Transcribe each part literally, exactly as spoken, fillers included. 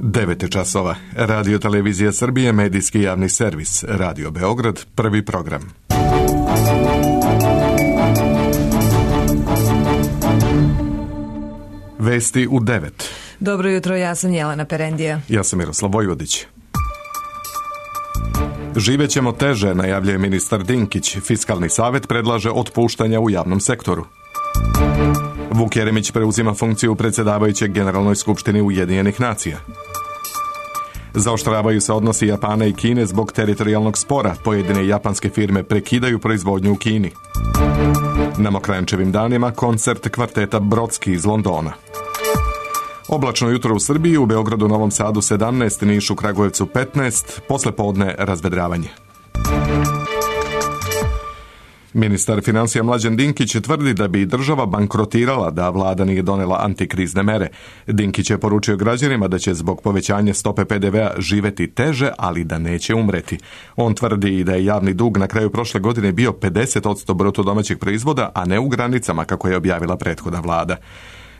devet časova. Radio Televizija Srbije, medijski javni servis. Radio Beograd, prvi program. Vesti u devet. Dobro jutro, ja sam Jelena Perendija. Ja sam Miroslav Vojvodić. Živećemo teže, najavljuje ministar Dinkić. Fiskalni savet predlaže otpuštanja u javnom sektoru. Vuk Jeremić preuzima funkciju predsjedavajućeg Generalnoj skupštini Ujedinjenih nacija. Zaoštravaju se odnosi Japana i Kine zbog teritorijalnog spora. Pojedine japanske firme prekidaju proizvodnju u Kini. Na Mokranjčevim danima koncert kvarteta Brodski iz Londona. Oblačno jutro u Srbiji, u Beogradu, Novom Sadu sedamnaest, Nišu, Kragujevcu petnaest, poslepodne razvedravanje. Ministar financija Mlađan Dinkić tvrdi da bi država bankrotirala da vlada nije donela antikrizne mere. Dinkić je poručio građanima da će zbog povećanja stope pe de ve a živeti teže, ali da neće umreti. On tvrdi i da je javni dug na kraju prošle godine bio pedeset posto bruto domaćeg proizvoda, a ne u granicama kako je objavila prethodna vlada.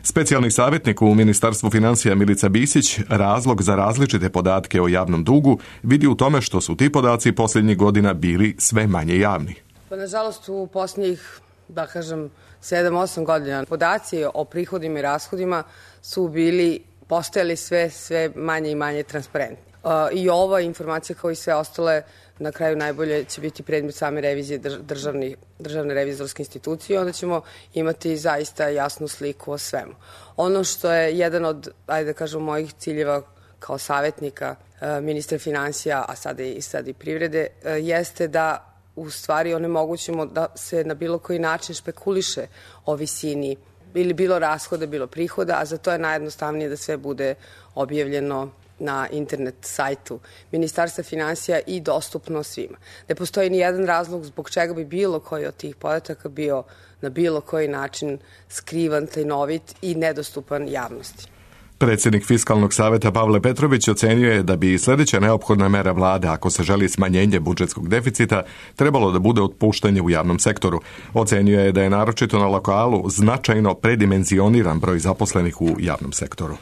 Specijalni savjetnik u Ministarstvu financija Milica Bisić razlog za različite podatke o javnom dugu vidi u tome što su ti podaci posljednjih godina bili sve manje javni. Pa nažalost u posljednjih, da kažem, sedam osam godina podaci o prihodima i rashodima su bili, postajali sve, sve manje i manje transparentni. I ova informacija kao i sve ostale na kraju najbolje će biti predmet same revizije državni, državne revizorske institucije, onda ćemo imati zaista jasnu sliku o svemu. Ono što je jedan od, ajde da kažem, mojih ciljeva kao savjetnika ministra financija, a sada i, sad i privrede, jeste da u stvari onemogućimo da se na bilo koji način špekuliše o visini ili bilo rashoda, bilo prihoda, a za to je najjednostavnije da sve bude objavljeno na internet sajtu Ministarstva financija i dostupno svima. Ne postoji ni jedan razlog zbog čega bi bilo koji od tih podataka bio na bilo koji način skrivan, tajnovit i nedostupan javnosti. Predsjednik Fiskalnog saveta Pavle Petrović ocenjuje da bi sljedeća neophodna mera vlade, ako se želi smanjenje budžetskog deficita, trebalo da bude otpuštanje u javnom sektoru. Ocenjuje da je naročito na lokalu značajno predimenzioniran broj zaposlenih u javnom sektoru.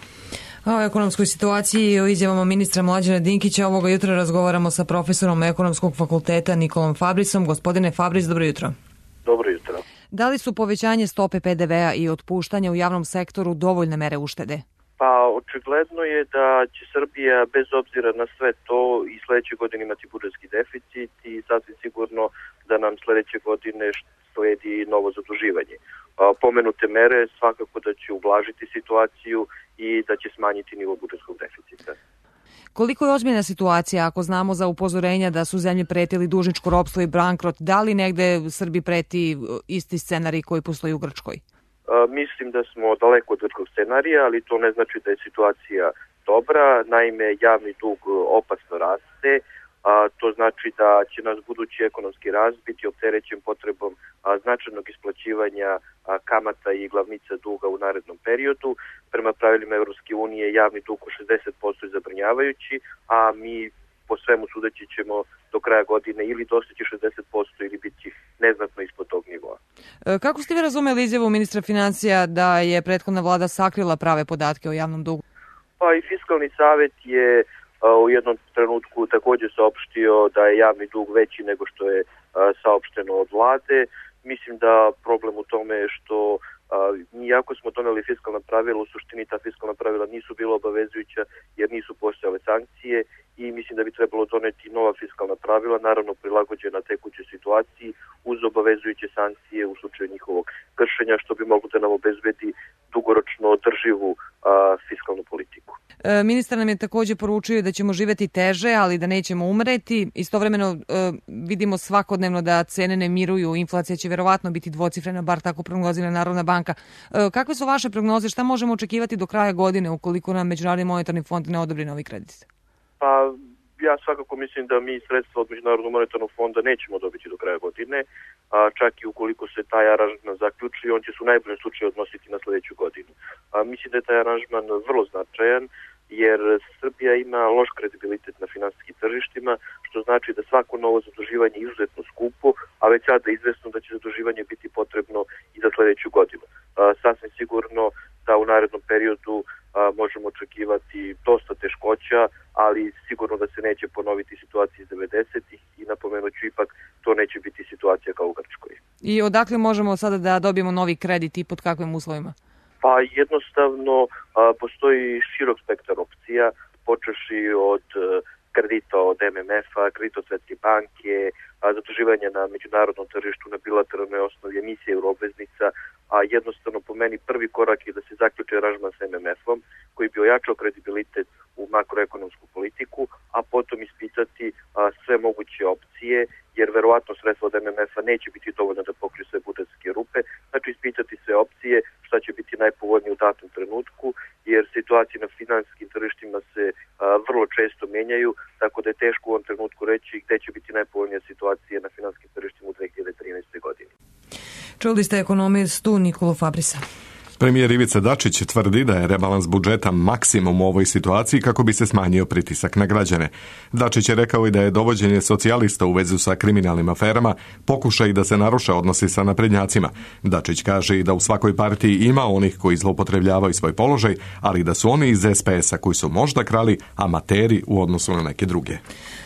O ekonomskoj situaciji i o izjavama ministra Mlađana Dinkića ovoga jutra razgovaramo sa profesorom Ekonomskog fakulteta Nikolom Fabrisom. Gospodine Fabris, dobro jutro. Dobro jutro. Da li su povećanje stope pe de ve a i otpuštanje u javnom sektoru dovoljne mere uštede? Pa očigledno je da će Srbija bez obzira na sve to i sljedeće godine imati budžetski deficit i sasvim sigurno da nam sljedeće godine slijedi novo zaduživanje. Pomenute mere svakako da će ublažiti situaciju i da će smanjiti nivo budžetskog deficita. Koliko je ozbiljna situacija ako znamo za upozorenja da su zemlje pretili dužničko ropstvo i bankrot? Da li negde Srbiji preti isti scenarij koji postoji u Grčkoj? Mislim da smo daleko od grčkog scenarija, ali to ne znači da je situacija dobra. Naime, javni dug opasno raste, a to znači da će nas budući ekonomski rast biti opterećen potrebom a, značajnog isplaćivanja a, kamata i glavnica duga u narednom periodu. Prema pravilima Evropske unije javni dug u šezdeset posto je zabrinjavajući, a mi po svemu sudeći ćemo do kraja godine ili dostići šezdeset posto ili biti neznatno ispod tog nivoa. Kako ste vi razumeli izjavu ministra financija da je prethodna vlada sakrila prave podatke o javnom dugu? Pa i Fiskalni savet je u jednom trenutku također saopštio da je javni dug veći nego što je saopšteno od vlade. Mislim da problem u tome je što iako smo doneli fiskalna pravila, u suštini ta fiskalna pravila nisu bila obavezujuća jer nisu postojale sankcije i mislim da bi trebalo doneti nova fiskalna pravila, naravno prilagođena tekućoj situaciji uz obavezujuće sankcije u slučaju njihovog kršenja, što bi moglo da nam obezbedi dugoročno održivu a, fiskalnu politiku. E, ministar nam je također poručio da ćemo živjeti teže, ali da nećemo umreti. Istovremeno e, vidimo svakodnevno da cene ne miruju, inflacija će verovatno biti dvocifrena, bar tako prognozira Narodna banka. E, kakve su vaše prognoze? Šta možemo očekivati do kraja godine ukoliko nam Međunarodni monetarni fond ne odobri novi kredit? Pa ja svakako mislim da mi sredstva od Međunarodnog monetarnog fonda nećemo dobiti do kraja godine, a čak i ukoliko se taj aranžman zaključi, on će se u najboljem slučaju odnositi na sljedeću godinu. A mislim da je taj aranžman vrlo značajan, jer Srbija ima loš kredibilitet na finansijskim tržištima, što znači da svako novo zaduživanje je izuzetno skupo, a već sada je izvesno da će zaduživanje biti potrebno i za sljedeću godinu. A, sasvim sigurno da u narednom periodu možemo očekivati dosta teškoća, ali sigurno da se neće ponoviti situacija iz devedesetih i napomenut ću ipak to neće biti situacija kao u Grčkoj. I odakle možemo sada da dobijemo novi kredit i pod kakvim uslovima? Pa jednostavno a, postoji širok spektar opcija, počeši od a, kredita od M M F-a, kredita od Svetske banke, a, zaduživanja na međunarodnom tržištu, na bilateralnoj osnovi, emisije euroobveznica, a jednostavno po meni prvi korak je da se zaključi aranžman s M M F-om koji bi ojačao kredibilitet u makroekonomsku politiku, a potom ispitati a, sve moguće opcije, jer verovatno sredstva od M M F-a neće biti dovoljno da pokriju sve budžetske rupe, znači ispitati sve opcije šta će biti najpovoljnije u datom trenutku, jer situacije na finansijskim tržištima se a, vrlo često menjaju, tako da je teško u ovom trenutku reći gde će biti najpovoljnija situacija na finansijskim tržištima u dve hiljade trinaestoj. godini. Čuli ste ekonomistu Nikolu Fabrisa. Premijer Ivica Dačić tvrdi da je rebalans budžeta maksimum u ovoj situaciji kako bi se smanjio pritisak na građane. Dačić je rekao i da je dovođenje socijalista u vezu sa kriminalnim aferama pokušaj da se naruše odnosi sa naprednjacima. Dačić kaže i da u svakoj partiji ima onih koji zloupotrebljavaju svoj položaj, ali da su oni iz S P S-a koji su možda krali amateri u odnosu na neke druge.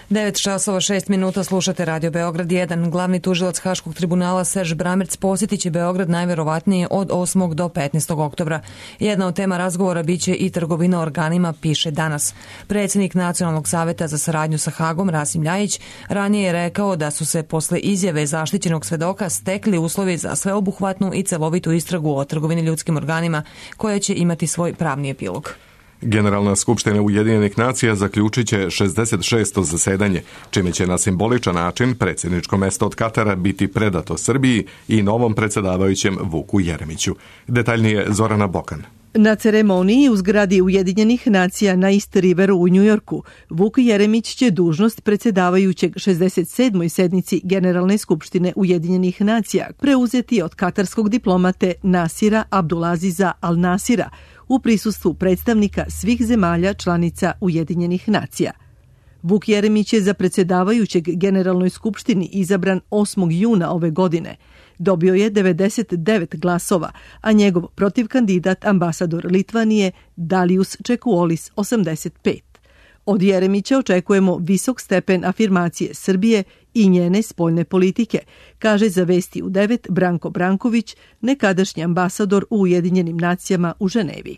devet časova šest minuta, slušate Radio Beograd jedan. Glavni tužilac Haškog tribunala Serž Bramerc posjetit će Beograd najverovatnije od osmog do petnaestog oktobra. Jedna od tema razgovora biće i trgovina organima, piše Danas. Predsjednik Nacionalnog saveta za saradnju sa Hagom, Rasim Ljajić, ranije je rekao da su se posle izjave zaštićenog svedoka stekli uslovi za sveobuhvatnu i celovitu istragu o trgovini ljudskim organima, koja će imati svoj pravni epilog. Generalna skupština Ujedinjenih nacija zaključit će šezdeset šesto zasedanje, čime će na simboličan način predsjedničko mesto od Katara biti predato Srbiji i novom predsjedavajućem Vuku Jeremiću. Detaljnije Zorana Bokan. Na ceremoniji u zgradi Ujedinjenih nacija na East Riveru u Njujorku, Vuk Jeremić će dužnost predsjedavajućeg šezdeset sedmoj sednici Generalne skupštine Ujedinjenih nacija preuzeti od katarskog diplomate Nasira Abdulaziza Al-Nasira u prisustvu predstavnika svih zemalja članica Ujedinjenih nacija. Vuk Jeremić je za predsjedavajućeg Generalnoj skupštini izabran osmog juna ove godine. Dobio je devedeset devet glasova, a njegov protivkandidat ambasador Litvanije Dalius Čekuolis osamdeset pet. Od Jeremića očekujemo visok stepen afirmacije Srbije i njene spoljne politike, kaže za Vesti u devet Branko Branković, nekadašnji ambasador u Ujedinjenim nacijama u Ženevi.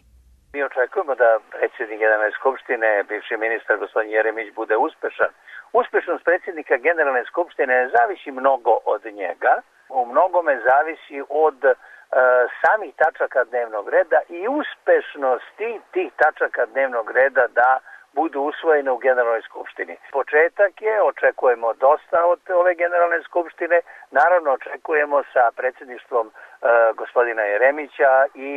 Mi očekujemo da predsjednik Generalne skupštine, bivši ministar gospodin Jeremić, bude uspešan. Uspešnost predsjednika Generalne skupštine ne zavisi mnogo od njega, u mnogome zavisi od e, samih tačaka dnevnog reda i uspešnosti tih tačaka dnevnog reda da budu usvojene u Generalnoj skupštini. Početak je, očekujemo dosta od ove Generalne skupštine, naravno očekujemo sa predsjedništvom e, gospodina Jeremića i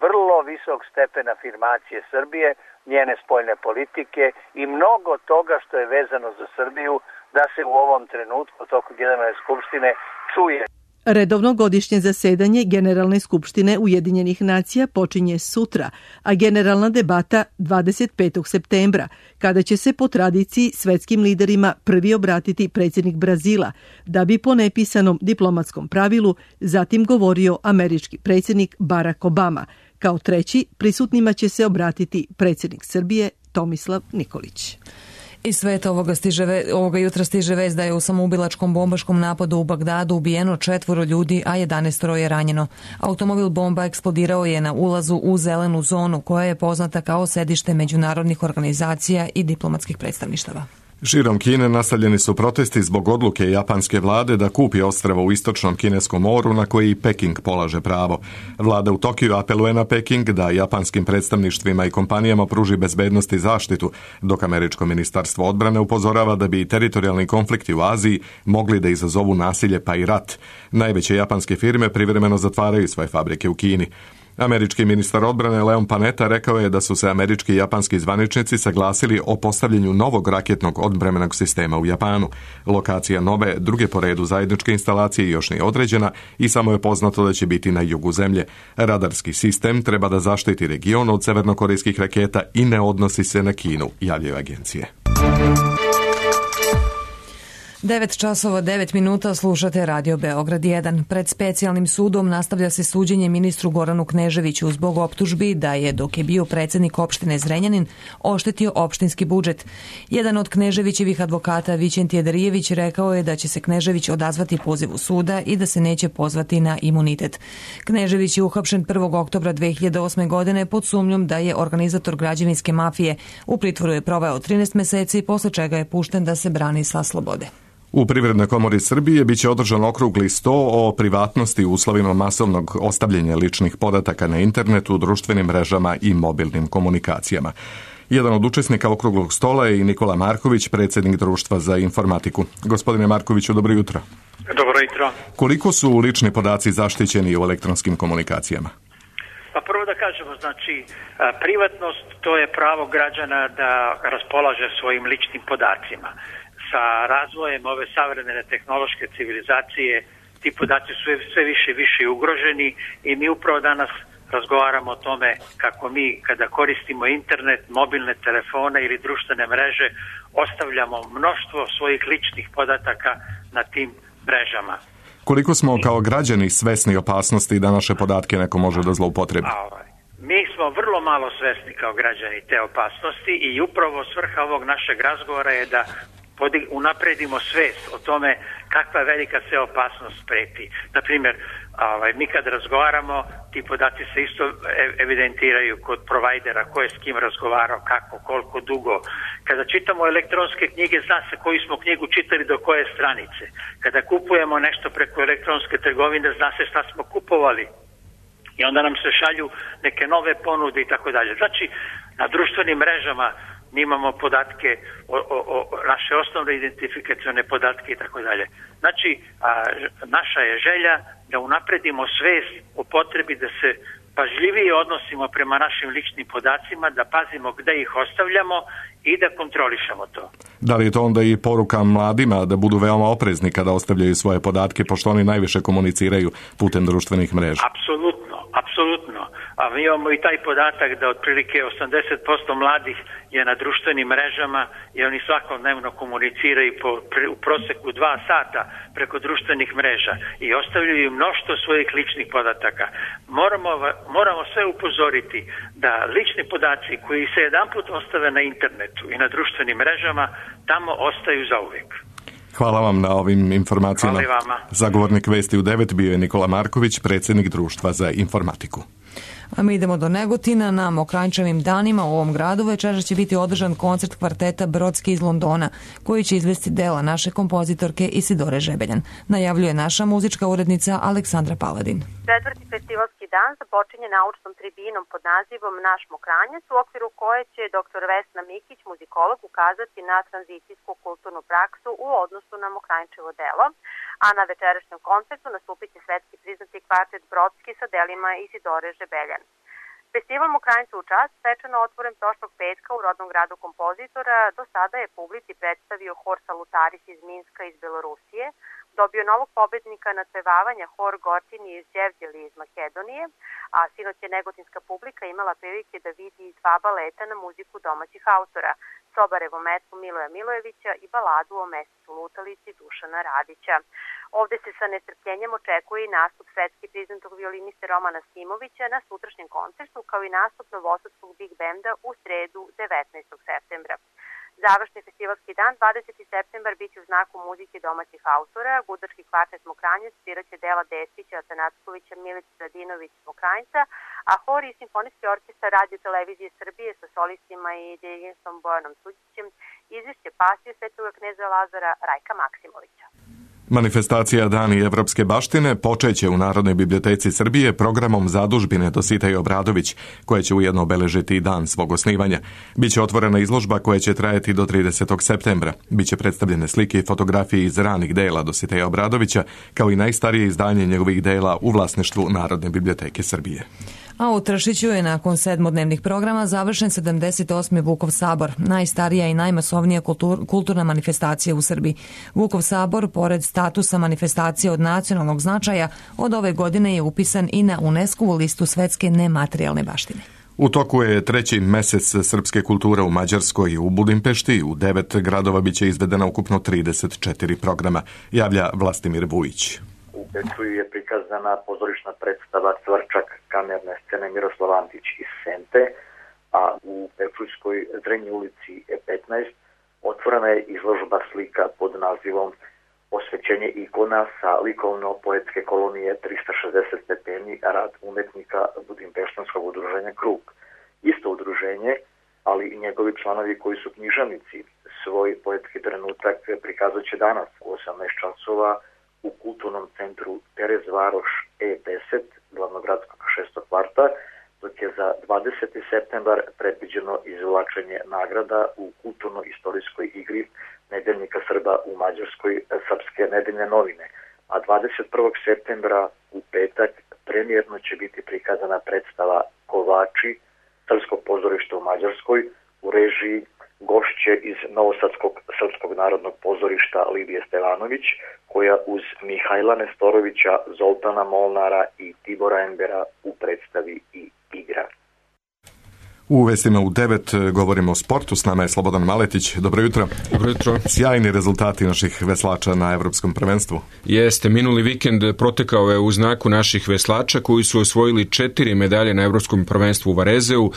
vrlo visok stepen afirmacije Srbije, njene spoljne politike i mnogo toga što je vezano za Srbiju da se u ovom trenutku toku Generalne skupštine čuje. Redovno godišnje zasedanje Generalne skupštine Ujedinjenih nacija počinje sutra, a generalna debata dvadeset petog septembra, kada će se po tradiciji svetskim liderima prvi obratiti predsjednik Brazila, da bi po nepisanom diplomatskom pravilu zatim govorio američki predsjednik Barack Obama. Kao treći, prisutnima će se obratiti predsjednik Srbije Tomislav Nikolić. Iz sveta ovoga, stiže, ovoga jutra stiže vest da je u samoubilačkom bombaškom napadu u Bagdadu ubijeno četvoro ljudi, a jedanaestoro je ranjeno. Automobil bomba eksplodirao je na ulazu u zelenu zonu, koja je poznata kao sedište međunarodnih organizacija i diplomatskih predstavništava. Širom Kine nastavljeni su protesti zbog odluke japanske vlade da kupi ostrvo u istočnom kineskom moru na koji Peking polaže pravo. Vlada u Tokiju apeluje na Peking da japanskim predstavništvima i kompanijama pruži bezbednost i zaštitu, dok američko ministarstvo odbrane upozorava da bi teritorijalni konflikti u Aziji mogli da izazovu nasilje pa i rat. Najveće japanske firme privremeno zatvaraju svoje fabrike u Kini. Američki ministar odbrane Leon Panetta rekao je da su se američki i japanski zvaničnici saglasili o postavljanju novog raketnog odbrambenog sistema u Japanu. Lokacija nove, druge po redu zajedničke instalacije još nije određena i samo je poznato da će biti na jugu zemlje. Radarski sistem treba da zaštiti region od severnokorejskih raketa i ne odnosi se na Kinu, javljaju agencije. devet časova devet minuta, slušate Radio Beograd jedan. Pred specijalnim sudom nastavlja se suđenje ministru Goranu Kneževiću zbog optužbi da je, dok je bio predsednik opštine Zrenjanin, oštetio opštinski budžet. Jedan od Kneževićevih advokata, Vićentije Darijević, rekao je da će se Knežević odazvati pozivu suda i da se neće pozvati na imunitet. Knežević je uhapšen prvog oktobra dve hiljade osme. godine pod sumnjom da je organizator građevinske mafije. U pritvoru je proveo trinaest meseci, posle čega je pušten da se brani sa slobode. U Privrednoj komori Srbije biće održan okrugli sto o privatnosti u uslovima masovnog ostavljanja ličnih podataka na internetu, društvenim mrežama i mobilnim komunikacijama. Jedan od učesnika okruglog stola je i Nikola Marković, predsjednik Društva za informatiku. Gospodine Markoviću, dobro jutro. Dobro jutro. Koliko su lični podaci zaštićeni u elektronskim komunikacijama? Pa prvo da kažemo, znači, privatnost to je pravo građana da raspolaže svojim ličnim podacima. Sa razvojem ove savremene tehnološke civilizacije ti podaci su sve više i više ugroženi i mi upravo danas razgovaramo o tome kako mi kada koristimo internet, mobilne telefone ili društvene mreže ostavljamo mnoštvo svojih ličnih podataka na tim mrežama. Koliko smo kao građani svesni opasnosti da naše podatke neko može da zloupotrebi? Mi smo vrlo malo svesni kao građani te opasnosti i upravo svrha ovog našeg razgovora je da unapredimo svest o tome kakva velika se opasnost preti. Naprimjer, ovaj, mi kad razgovaramo, ti podaci se isto evidentiraju kod provajdera, ko je s kim razgovarao, kako, koliko dugo. Kada čitamo elektronske knjige, zna se koju smo knjigu čitali do koje stranice. Kada kupujemo nešto preko elektronske trgovine, zna se šta smo kupovali. I onda nam se šalju neke nove ponude i tako dalje. Znači, na društvenim mrežama mi imamo podatke, o, o, o naše osnovne identifikacione podatke i tako dalje. Znači, a, naša je želja da unapredimo svest o potrebi da se pažljivije odnosimo prema našim ličnim podacima, da pazimo gde ih ostavljamo i da kontrolišemo to. Da li je to onda i poruka mladima da budu veoma oprezni kada ostavljaju svoje podatke, pošto oni najviše komuniciraju putem društvenih mreža? Apsolutno, apsolutno. A mi imamo i taj podatak da otprilike osamdeset posto mladih je na društvenim mrežama i oni svakodnevno komuniciraju po, u proseku dva sata preko društvenih mreža i ostavljaju mnoštvo svojih ličnih podataka. Moramo, moramo sve upozoriti da lični podaci koji se jedanput ostave na internetu i na društvenim mrežama tamo ostaju zauvijek. Hvala vam na ovim informacijama. Hvala vama. Zagovornik Vesti u devet bio je Nikola Marković, predsjednik Društva za informatiku. A mi idemo do Negotina. Na Mokranjčevim danima u ovom gradu večeras će biti održan koncert kvarteta Brodski iz Londona, koji će izvesti dela naše kompozitorke Isidore Žebeljan. Najavljuje naša muzička urednica Aleksandra Paladin. Četvrti festivalski dan započinje naučnom tribinom pod nazivom Naš Mokranjac, u okviru koje će doktor Vesna Mikić, muzikolog, ukazati na tranzicijsku kulturnu praksu u odnosu na Mokranjčevo delo, a na večerašnjem koncertu nastupit će svetski priznati kvartet Brodski sa delima Isidore Žebeljan. Festival Mokranjca u čast svečano otvoren prošlog petka u rodnom gradu kompozitora. Do sada je publici predstavio hor Salutaris iz Minska iz Belorusije, dobio novog pobednika nadpevavanja hor Gortini iz Đevđeli iz Makedonije, a sinoć je negotinska publika imala prilike da vidi dva baleta na muziku domaćih autora, Sobarevu metlu Miloja Milojevića i baladu o mesecu lutalici Dušana Radića. Ovde se sa nestrpljenjem očekuje i nastup svetski priznatog violiniste Romana Simovića na sutrašnjem koncertu, kao i nastup novosadskog Big Benda u sredu devetnaestog septembra. Završni festivalski dan, dvadeseti septembar, biće u znaku muzike domaćih autora. Gudački kvartet Mokranjac sviraće dela Despića, Atanackovića, Milica Radinović Mokranjca, a hor i simfonijski orkestar Radio Televizije Srbije sa solistima i dirigentom Bojanom Suđićem izvešće pasije Svetoga kneza Lazara Rajka Maksimovića. Manifestacija Dani evropske baštine počeće u Narodnoj biblioteci Srbije programom zadužbine Dositej Obradović, koja će ujedno obeležiti dan svog osnivanja. Biće otvorena izložba koja će trajati do tridesetog septembra. Biće predstavljene slike i fotografije iz ranih dela Dositeja Obradovića, kao i najstarije izdanje njegovih dela u vlasništvu Narodne biblioteke Srbije. A u Tršiću je nakon sedmodnevnih programa završen sedamdeset osmi Vukov sabor, najstarija i najmasovnija kultur, kulturna manifestacija u Srbiji. Vukov sabor, pored statusa manifestacije od nacionalnog značaja, od ove godine je upisan i na UNESCO-vu listu svetske nematerijalne baštine. U toku je treći mesec srpske kulture u Mađarskoj i u Budimpešti. U devet gradova biće izvedena ukupno trideset četiri programa, javlja Vlastimir Vujić. U Bečuju je prikazana pozorišna predstava Cvrčak kamerne scene Miroslav Antić iz Sente, a u Bečujskoj Zrenji ulici petnaest otvorena je izložba slika pod nazivom Osvećenje ikona sa likovno-poetske kolonije trista šezdeset stepeni, rad umetnika Budimpeštanskog udruženja Krug. Isto udruženje, ali i njegovi članovi koji su književnici, svoj poetski trenutak prikazat će danas u osamnaest časova u kulturnom centru Terez Varoš E deset, glavnogradskog šestog kvarta, dok je za dvadeseti septembar predviđeno izvlačenje nagrada u kulturno-istorijskoj igri Nedeljnika Srba u Mađarskoj, Srpske nedeljne novine, a dvadeset prvog septembra u petak premijerno će biti prikazana predstava Kovači Srpskog pozorišta u Mađarskoj u režiji gošće iz Novosadskog Srpskog narodnog pozorišta Lidije Stevanović, koja uz Mihajla Nestorovića, Zoltana Molnara i Tibora Embera u predstavi i igra. U vestima u devet govorimo o sportu. S nama je Slobodan Maletić. Dobro jutro. Dobro jutro. Sjajni rezultati naših veslača na Evropskom prvenstvu. Jeste, minuli vikend protekao je u znaku naših veslača koji su osvojili četiri medalje na Evropskom prvenstvu u Varezeu.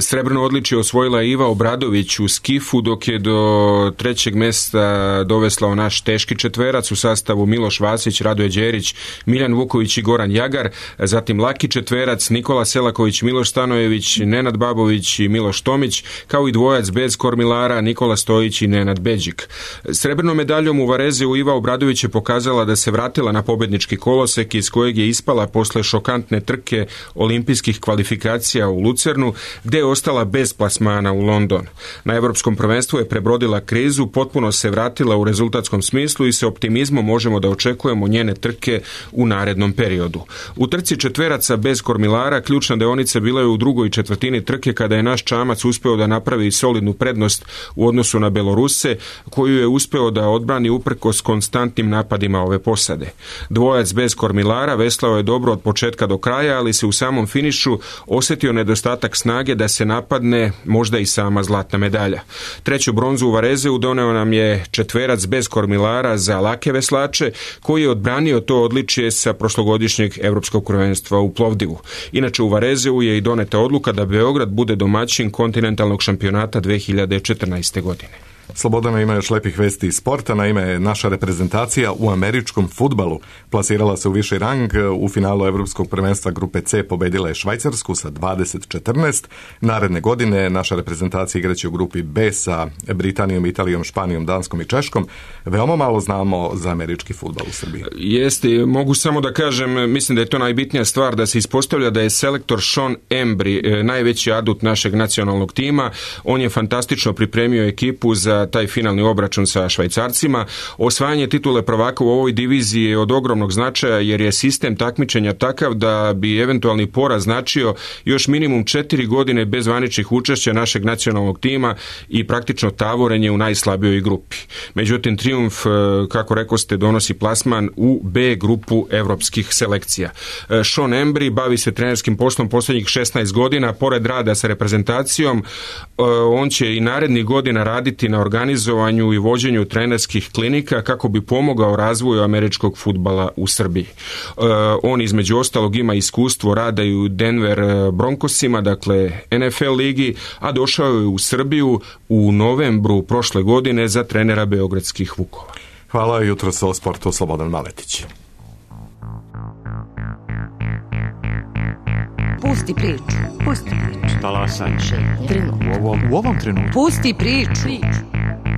Srebrno odličje osvojila Iva Obradović u skifu, dok je do trećeg mesta doveslao naš teški četverac u sastavu Miloš Vasić, Radoje Đerić, Miljan Vuković i Goran Jagar. Zatim laki četverac Nikola Selaković, Miloš Stanojević, Nenad Babović i Miloš Tomić, kao i dvojac bez kormilara Nikola Stojić i Nenad Beđik. Srebrnom medaljom u Varezeu Iva Obradović je pokazala da se vratila na pobednički kolosek iz kojeg je ispala posle šokantne trke olimpijskih kvalifikacija u Lucernu, gde je ostala bez plasmana u London. Na Evropskom prvenstvu je prebrodila krizu, potpuno se vratila u rezultatskom smislu i sa optimizmom možemo da očekujemo njene trke u narednom periodu. U trci četveraca bez kormilara ključna deonica bila je u drugoj četvrtini trke, kada je naš čamac uspeo da napravi solidnu prednost u odnosu na Beloruse, koju je uspeo da odbrani uprkos konstantnim napadima ove posade. Dvojac bez kormilara veslao je dobro od početka do kraja, ali se u samom finišu osjetio nedostatak snage da se napadne možda i sama zlatna medalja. Treću bronzu u Varezeu doneo nam je četverac bez kormilara za lake veslače, koji je odbranio to odličje sa prošlogodišnjeg Evropskog prvenstva u Plovdivu. Inače, u Varezeu je i doneta odluka da Beograd bude domaćin kontinentalnog šampionata dve hiljade četrnaeste. godine. Slobodana ima još lepih vesti iz sporta. Naime, naša reprezentacija u američkom fudbalu plasirala se u viši rang. U finalu Evropskog prvenstva grupe C pobedila je Švajcarsku sa dvadeset četrnaest. Naredne godine naša reprezentacija igraće u grupi B sa Britanijom, Italijom, Španijom, Danskom i Češkom. Veoma malo znamo za američki fudbal u Srbiji. Jeste, mogu samo da kažem, mislim da je to najbitnija stvar, da se ispostavlja da je selektor Sean Embry najveći adut našeg nacionalnog tima. On je fantastično pripremio ekipu za taj finalni obračun sa Švajcarcima. Osvajanje titule prvaka u ovoj diviziji je od ogromnog značaja, jer je sistem takmičenja takav da bi eventualni poraz značio još minimum četiri godine bez zvaničnih učešća našeg nacionalnog tima i praktično tavorenje u najslabijoj grupi. Međutim, trijumf, kako rekoste, donosi plasman u B grupu evropskih selekcija. Sean Embry bavi se trenerskim poslom posljednjih šesnaest godina. Pored rada sa reprezentacijom, on će i narednih godina raditi na organizovanju i vođenju trenerskih klinika kako bi pomogao razvoju američkog fudbala u Srbiji. On između ostalog ima iskustvo rada i u Denver Broncosima, dakle N F L ligi, a došao je u Srbiju u novembru prošle godine za trenera beogradskih Vukova. Hvala, jutro sa o sportu Slobodan Maletić. Pusti priču. Pusti priču. Talasaj. U ovom, u ovom trenutku. Pusti priču.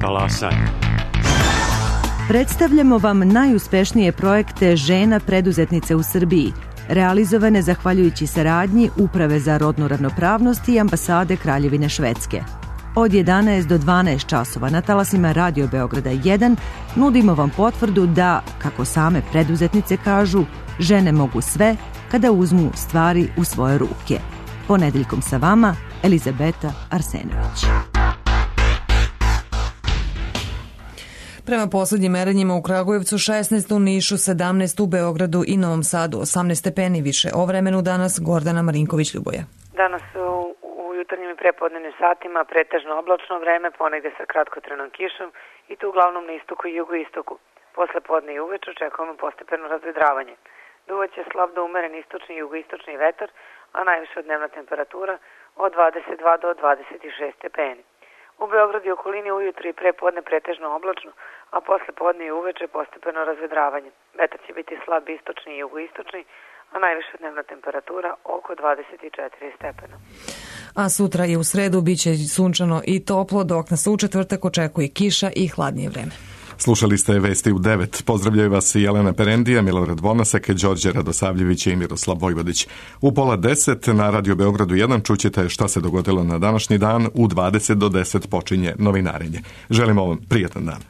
Talasaj. Predstavljamo vam najuspešnije projekte žena preduzetnice u Srbiji, realizovane zahvaljujući saradnji Uprave za rodnu ravnopravnost i Ambasade Kraljevine Švedske. Od jedanaest do dvanaest časova na talasima Radio Beograda jedan nudimo vam potvrdu da, kako same preduzetnice kažu, žene mogu sve kada uzmu stvari u svoje ruke. Ponedeljkom sa vama, Elizabeta Arsenović. Prema poslednjim merenjima u Kragujevcu šesnaest, u Nišu sedamnaest, u Beogradu i Novom Sadu osamnaest stepeni više. O vremenu danas Gordana Marinković-Ljuboja. Danas u jutarnjim i prepodnevnim satima pretežno oblačno vreme, ponegde sa kratkotrenom kišom i to uglavnom na istoku i jugoistoku. Posle podne i uveče očekujemo postepeno razvedravanje. Duvaće slab do umeren istočni i jugoistočni vetar, a najviša dnevna temperatura od dvadeset dva do dvadeset šest stepeni. U Beogradu i okolini ujutro i prepodne pretežno oblačno, a posle podne i uveče postepeno razvedravanje. Vetar će biti slab istočni i jugoistočni, a najviša dnevna temperatura oko dvadeset četiri stepena. A sutra i u sredu biće sunčano i toplo, dok nas u četvrtak očekuje kiša i hladnije vreme. Slušali ste Vesti u devet. Pozdravljaju vas i Jelena Perendija, Milorad Vonasek, Đorđe Radosavljević i Miroslav Vojvodić. U pola deset na Radio Beogradu jedan čućete šta se dogodilo na današnji dan. U dvadeset do deset počinje novinarenje. Želimo vam prijatan dan.